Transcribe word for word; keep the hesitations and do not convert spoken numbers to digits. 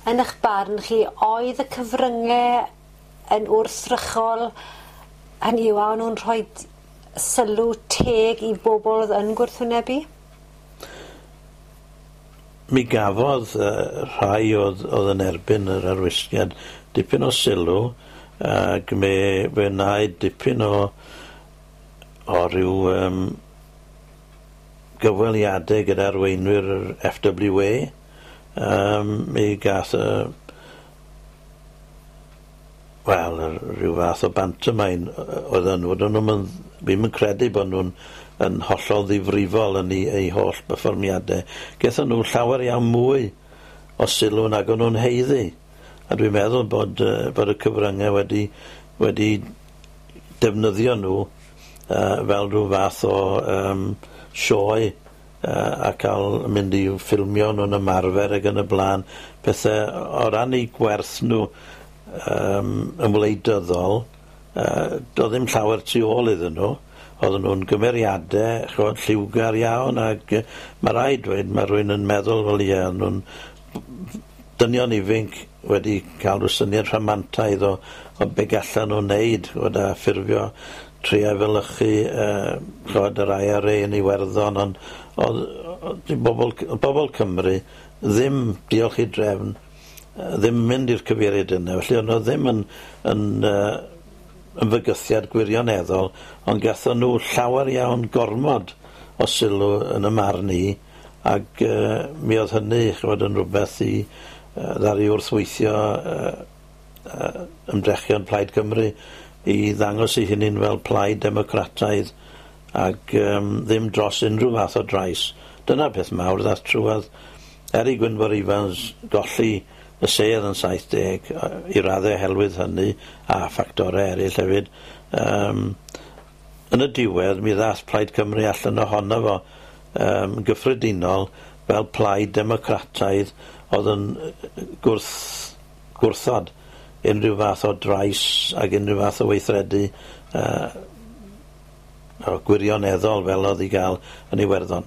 Yn eich barn chi, oedd y cyfryngau yn wrthrychol, hynny yw, a o'n nhw'n rhoi sylw teg i bobl oedd yn gwrthwynebu? Mi gafodd uh, rhai oedd, oedd yn erbyn yr arwisgiad dipyn o sylw, ac mi fe wnaed dipyn o o ryw um, gyfweliadau gyda arweinwyr yr F W A. Um, mi gath y wel, rhyw fath o bantomime oedd yn nhw. Nhw'n ddim yn credu bod nhw'n yn hollol ddifrifol yn eu, eu holl berfformiadau. Gaethon nhw llawer iawn mwy o sylw nag o'n nhw'n haeddu. A dwi'n meddwl bod, uh, bod y cyfryngau wedi, wedi defnyddio nhw uh, fel rhyw fath o um, sioe uh, a cael mynd i ffilmio nhw'n ymarfer ac yn y blaen. Pethau o ran eu gwerth nhw um, yn wleidyddol, uh, doedd ddim llawer tu ôl iddyn nhw. Oedden nhw'n gymeriadau, ch'mod, lliwgar iawn, ac uh, mae rhaid dweud, mae rhywun yn meddwl fel ie, nhw'n dynion ifanc wedi cael rhyw syniad rhamantaidd o, o be gallan nhw'n wneud, ch'mod, a ffurfio trio efelychu uh, ch'mod, yr I R A yn Iwerddon, ond oedd, oedd bobl, bobl Cymru ddim, diolch i drefn, ddim mynd i'r cyfeiriad yna, felly o'n nhw ddim yn, yn, uh, yn fygythiad gwirioneddol, ond gathon nhw llawer iawn gormod o sylw yn y marn i, ac uh, mi oedd hynny, ch'mod, yn rhywbeth i uh, ddaru wrthweithio uh, uh, ymdrechion Plaid Cymru i ddangos ei hunain fel plaid democrataidd ac um, ddim dros unrhyw fath o drais. Dyna'r peth mawr ddath trwodd. Er i Gwynfor Evans golli y sedd yn saith deg, i raddau oherwydd hynny a ffactorau eraill hefyd. Um, yn y diwedd, mi ddath Plaid Cymru allan ohono fo um, gyffredinol fel plaid democrataidd oedd yn gwrth, gwrthod unrhyw fath o drais ac unrhyw fath o weithredu uh, o gwirioneddol fel oedd i gael yn Iwerddon.